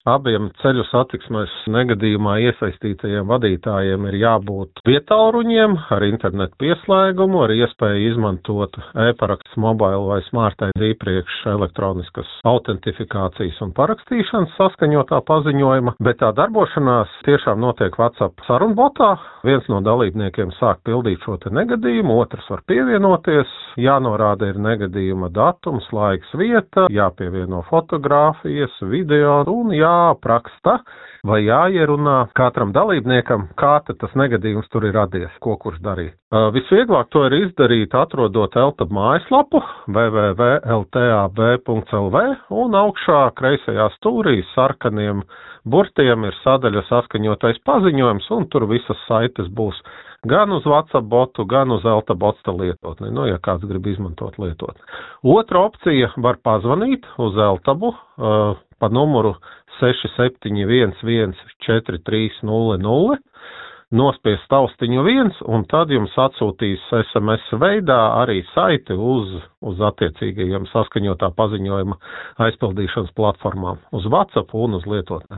Abiem ceļu satiksmes negadījumā iesaistītajiem vadītājiem ir jābūt vietāluruņiem ar internetu pieslēgumu, ar iespēju izmantot e-paraksts mobile vai smart ID iepriekš elektroniskas autentifikācijas un parakstīšanas saskaņotā paziņojuma, bet tā darbošanās tiešām notiek WhatsApp sarunbotā. Viens no dalībniekiem sāk pildīt šo te negadījumu, otrs var pievienoties, jānorāda ir negadījuma datums, laiks, vieta, jāpievieno fotogrāfijas, video un jāapraksta vai jāierunā katram dalībniekam, kā tas negadījums tur ir radies, ko kurš darīja. Visvieglāk to ir izdarīt, atrodot LTAB mājaslapu www.ltab.lv un augšā kreisajā stūrī sarkaniem burtiem ir sadaļa saskaņotais paziņojums, un tur visas saites būs gan uz WhatsApp botu, gan uz LTAB botsta lietotni, ja kāds grib izmantot lietotni. Otra opcija var pazvanīt uz LTABu pa numuru 67114300, nospiest taustiņu 1, un tad jums atsūtīs SMS veidā arī saiti uz attiecīgajiem saskaņotā paziņojuma aizpildīšanas platformām, uz WhatsApp un uz lietotni.